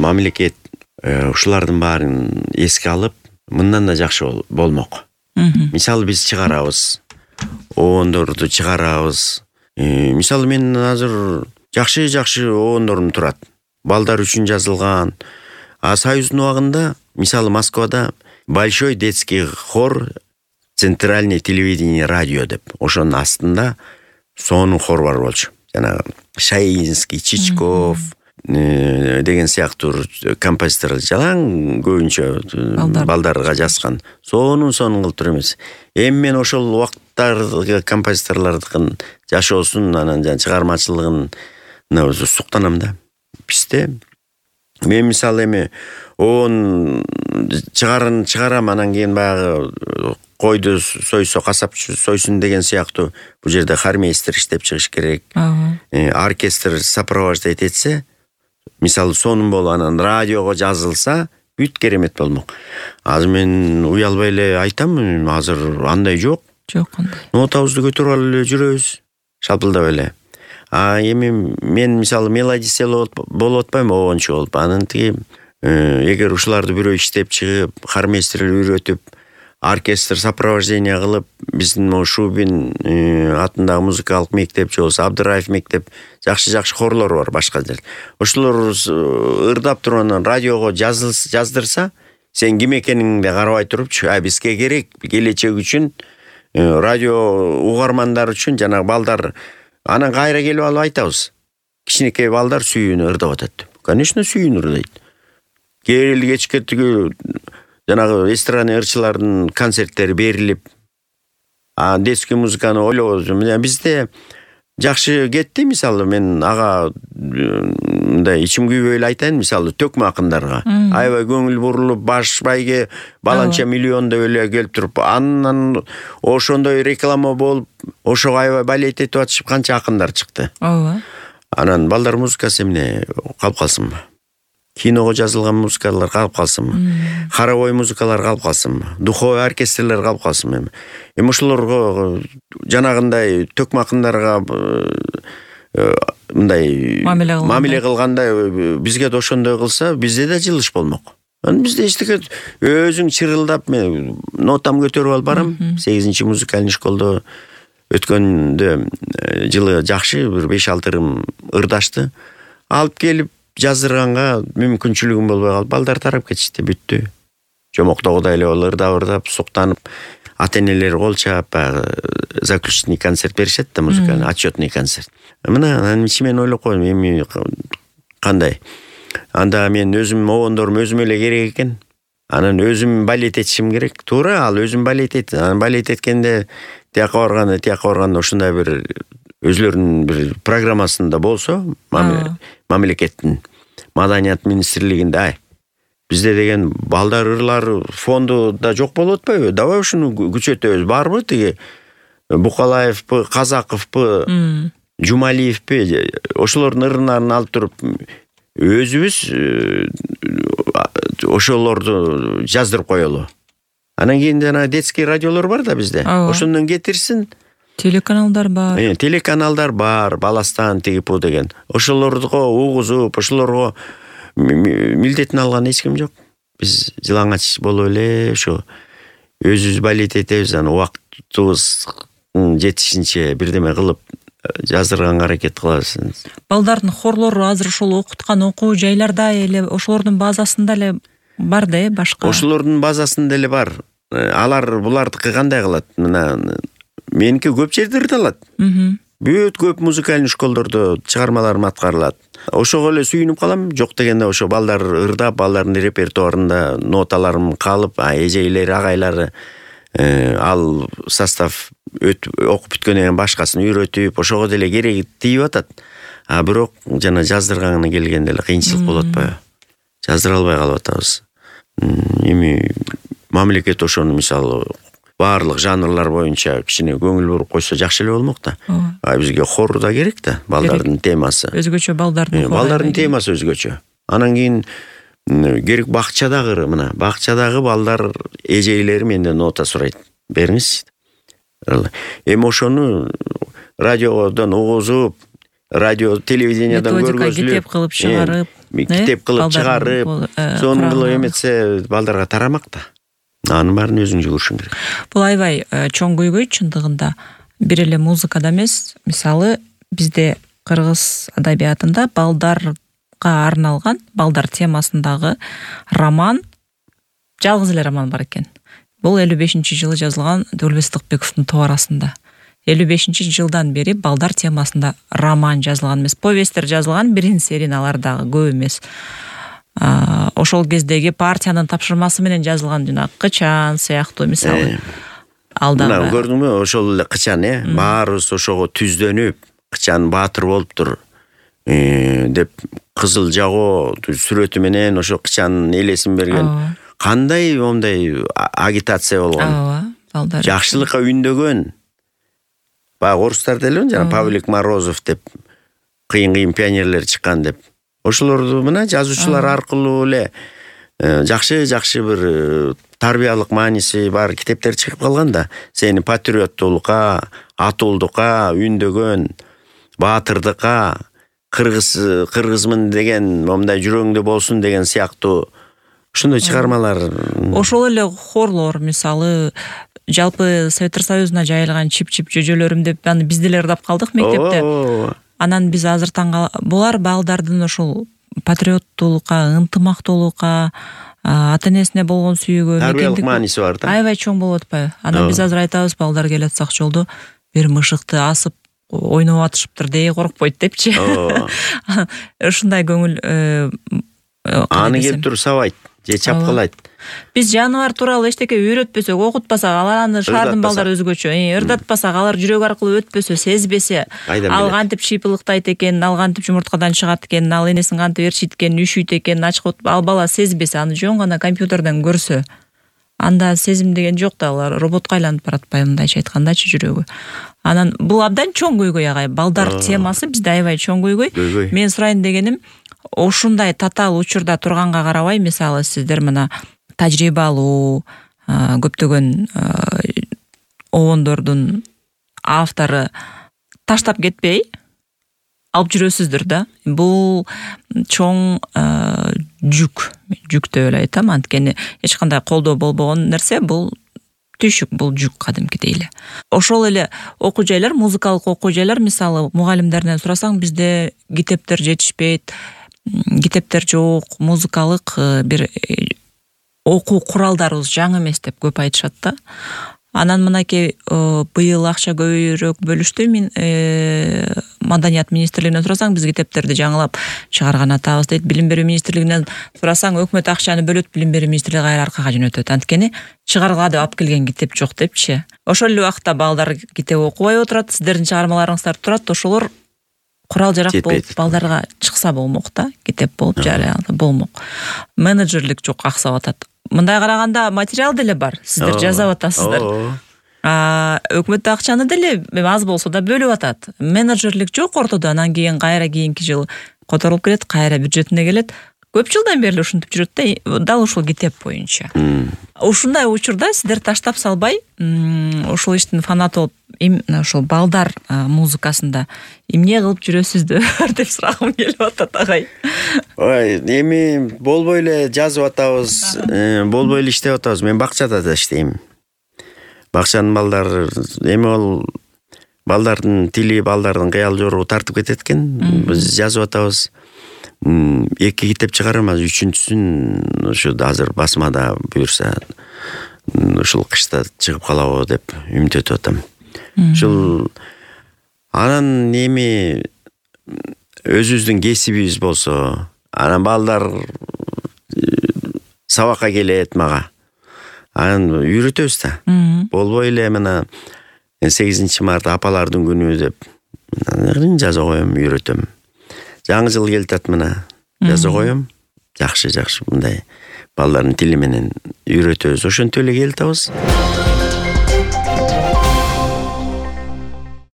мамлекет ушулардын баарын эске алып, мындан да жакшы болмок. Мисалы биз чыгарабыз, обондорду чыгарабыз. Мисалы мен азыр жакшы обондорум турат. Балдар үчүн жазылган. Союздун убагында, мисалы Москвада большой детский хор Центральное телевидение радио деп. Ошонун астында сонун хор бар болчу. Жана Шаинский, Чичков деген сыяктуу композитор жалаң көбүнчө балдарга жазган. Сонун кылып тур эмес. Эми мен ошол убактардагы композиторлордун жашоосун, анан чыгармачылыгын суктанам да. Бизде мен мисалы эми чыгарам, анан кийин баягы койду сойсо касапчы сойсун деген сыяктуу бул жерде хормейстер иштеп чыгыш керек. Оркестр сопровождать этсе, мисалы сонун болуп анан радиого жазылса, бүт керемет болмок. Азыр мен уялбай эле айтам, азыр андай жок. Кандай. Нотабызды көтөрүп алып эле жүрөбүз, шалпылдап эле. Эми мен мисалы мелодист болуп атпайм, обончу болуп. Анан тиги эгер ушуларды бирөө иштеп чыгып, хормейстер үйрөтүп, оркестр сопровождение кылып, биздин Шубин атындагы музыкалык мектеп же болбосо Абдыраев мектеп жакшы хорлор бар башка жерде. Ошолор ырдап туруп анан радиого жаздырса, сен ким экениңди карабай турупчу, бизге керек келечек үчүн, радио угармандар үчүн, жанагы балдар анан кайра келип алып айтабыз. Кичинекей балдар сүйүүнү ырдап атат. Конечно, сүйүүнү ырдайт. Кечке тиги жанагы эстрадный ырчылардын концерттери берилип, детский музыканы ойлобуз. Бизде жакшы кетти, мисалы мен ага мындай ичим күйбөй эле айтайын, мисалы төкмө акындарга. Аябай көңүл бурулуп, баш байге баланча миллион деп эле келип туруп, анан ошондой реклама болуп, ошого аябай балет этип атышып канча акындар чыкты. Анан балдар музыкасы эмне калып калсынбы? Киного жазылган музыкалар калып калсынбы? Хоровой музыкалар калып калсынбы? Духовой оркестрлер калып калсынбы? Эми ошолорго жанагындай төкмө акындарга мындай мамиле кылгандай бизге да ошондой кылса, бизде да жылыш болмок. Бизде эчтеке өзүң чырылдап, мен нотам көтөрүп алып барам. 8-чи музыкалный школдо өткөндө жылы жакшы бир 5-6 ырым ырдашты. Алып келип жаздырганга мүмкүнчүлүгүм болбой калып, балдар тарап кетишти, бүттү. Жомоктогудай эле ырдап, суктанып, ата-энелер кол чаап, заключительный концерт беришет да, музыкальный, отчетный концерт. Мына анан ичимен ойлоп койдум, эми кандай? Анда мен өзүм обондорум өзүм эле керек экен. Анан өзүм балет этишим керек. Туура, ал өзүм балет этти. Анан балет эткенде тияка барганда ушундай бир өзлөрүнүн бир программасында болсо, мамлекеттин маданият министрлигинде, бизде деген балдар ырлар фонду да жок болуп атпайбы? Давай ушуну күчөтөбүз. Барбы тиги Букалаевпы, Казаковпы, Жумалиевпи, ошолордун ырынаарын алып туруп өзүбүз ошолорду жаздырып коелу. Анан кийин жана детский радиолор бар да бизде. Ошондон кетирсин. Телеканалдар бар. Телеканалдар бар, Баластан тигипу деген. Ошолорго угузуп, ошолорго милдетин алган эч ким жок. Биз жылаңач болуп эле ошо өзүбүз балет этебиз, анан убактыбыз жетишинче бирдеме кылып жаздырганга аракет кылабыз. Балдардын хорлору азыр ошол окуткан окуу жайларда эле ошолордун базасында эле бар да, башка. Ошолордун базасында эле бар. Алар булардыкы кандай кылат? Мына меники көп жерде ырдалат. Бүт көп музыкальный школдордо чыгармаларым аткарылат. Ошого эле сүйүнүп калам. Жок дегенде ошо балдар ырдап, балдардын репертуарында ноталарым калып, эжейлери, агайлары ал состав окуп бүткөндөн кийин башкасын үйрөтүп, ошого деле кереги тийип атат. Бирок жана жаздырганына келгенде эле кыйынчылык болот атпайбы? Жаздыра албай калып атабыз. Эми мамлекет ошону мисалы барлык жанрлар боюнча кичине көңүл буруп койсо жакшы эле болмок да. Бизге хор да керек да, балдардын темасы. Өзгөчө балдардын темасы өзгөчө. Анан кийин керек бакчадагы, мына бакчадагы балдар эжейлери менден нота сурайт. Бериңиз. Эми ошону радиодон угузуп, радио телевидениядан көргөзүлүп, китеп кылып чыгарып, китеп кылып чыгарып, сонун кылып эметсе балдарга тарамак да. Анын баарын өзүң жүгүрүшүң керек. Бул аябай чоң көйгөй чындыгында. Бир эле музыкада эмес, мисалы бизде кыргыз адабиятында балдарга арналган, балдар темасындагы роман, жалгыз эле роман бар экен. Бул 55-жылы жазылган Дөлбес Тыкбековдун товарасында. 55-жылдан бери балдар темасында роман жазылган эмес, повесттер жазылган, бирин серин алар дагы көп эмес. Ошол кездеги партиянын тапшырмасы менен жазылган жана Кычан сыяктуу мисалы. Мына көрдүңбү, ошол эле Кычан, баарыбыз ошого түздөнүп, Кычан баатыр болуптур деп кызыл жагоо сүрөтү менен ошо Кычанын элесин берген. Кандай ондай агитация болгон. Балдар жакшылыкка үндөгөн. Баягы орустар деле жана Павлик Морозов деп кыйын пионерлер чыккан деп. Ошолорду мына жазуучулар аркылуу эле жакшы бир тарбиялык мааниси бар китептер чыгып калган да. Сени патриоттуулукка, атуулдукка үндөгөн, баатырдыкка, кыргызмын деген, момундай жүрөгүңдө болсун деген сыяктуу ушундай чыгармалар. Ошол эле хорлор мисалы жалпы Советтер Союзуна жайылган чип-чип жөжөлөрүм деп аны биз деле ырдап калдык мектепте. Анан биз азыр булар балдардын ошол патриоттуулукка, ынтымактуулукка, ата-энесине болгон сүйүүгө, тарбиялык мааниси бар да. Аябай чоң болуп атпайбы? Анан биз азыр айтабыз, балдар келатсак жолдо бир мышыкты асып ойноп атышыптыр дей коркпойт депчи. Ушундай көңүл аны келип туруп сабайт, же чапкылайт. Биз жаныбар тууралуу эчтеке үйрөтпөсөк, окутпасак, алар аны шаардын балдары өзгөчө, ырдатпасак, алар жүрөк аркылуу өтпөсө, сезбесе, ал кантип шыйпылыктайт экен, ал кантип жумурткадан чыгат экен, ал энесин кантип ээрчийт экен, үшүйт экен, ачык ал бала сезбесе, аны жөн гана компьютерден көрсө, анда сезим деген жок да, алар роботко айланып баратпайбы, мындайча айткандачы жүрөгү. Анан бул абдан чоң көйгөй агай. Балдар темасы бизде аябай чоң көйгөй. Мен сурайын дегеним, ушундай татаал учурда турганга карабай, мисалы сиздер мына тажрыйба алуу, көптөгөн обондордун автору таштап кетпей алып жүрөсүздөр да. Бул чоң жүк деп эле айтам, анткени эч кандай колдоо болбогон нерсе, бул түйшүк, бул жүк кадимкидей эле. Ошол эле окуу жайлар, музыкалык окуу жайлар, мисалы мугалимдерден сурасаң, бизде китептер жетишпейт, китептер жок, музыкалык бир окуу куралдарыбыз жаңы эмес деп көп айтышат да. Анан мынакей быйыл акча көбүрөөк бөлүштү. Мен Маданият министрлигинен сурасаң, биз китептерди жаңылап чыгарган атабыз дейт. Билим берүү министрлигинен сурасаң, өкмөт акчаны бөлөт, билим берүү министрлиги кайра аркага жөнөтөт. Анткени чыгарга деп алып келген китеп жок депчи. Ошол эле убакта балдар китеп окубай отурат, сиздердин чыгармаларыңыздар турат, ошолор курал жарак болуп балдарга чыкса болмок да, китеп болуп жарыяланса болмок. Менеджерлик жок, аксап атат. Мындай караганда материал деле бар, сиздер жазап атасыздар. Өкмөт акчаны деле аз болсо да бөлүп атат. Менеджерлик жок ортодо, анан кийин кайра кийинки жыл которулуп келет, кайра бюджетине келет. Көп жылдан бери ушинтип жүрөт да, дал ушул китеп боюнча. Ушундай учурда сиздер таштап салбай, ушул иштин фанаты болуп, ошол балдар музыкасында эмне кылып жүрөсүздөр деп сурагым келип атат агай. Ой, эми болбой эле жазып атабыз, болбой эле иштеп атабыз. Мен бакчада да иштейм. Бакчанын балдары эми ол балдардын тили, балдардын кыял жору тартып кетет экен. Биз жазып атабыз. 2 китеп чыгарабыз, 3-сүн ушу азыр басмада буюрса ушул кышта чыгып калабы деп үмүт этип атам. Ушул анан эми өзүбүздүн кесибибиз болсо, анан балдар сабакка келет мага. Анан үйрөтөбүз да. Болбой эле мына 8 март апалардын күнү деп жаза коем, үйрөтөм. Жаңы жыл келтат мына, жаза коем. Жакшы мындай балдардын тили менен үйрөтөбүз. Ошентип эле келтабыз.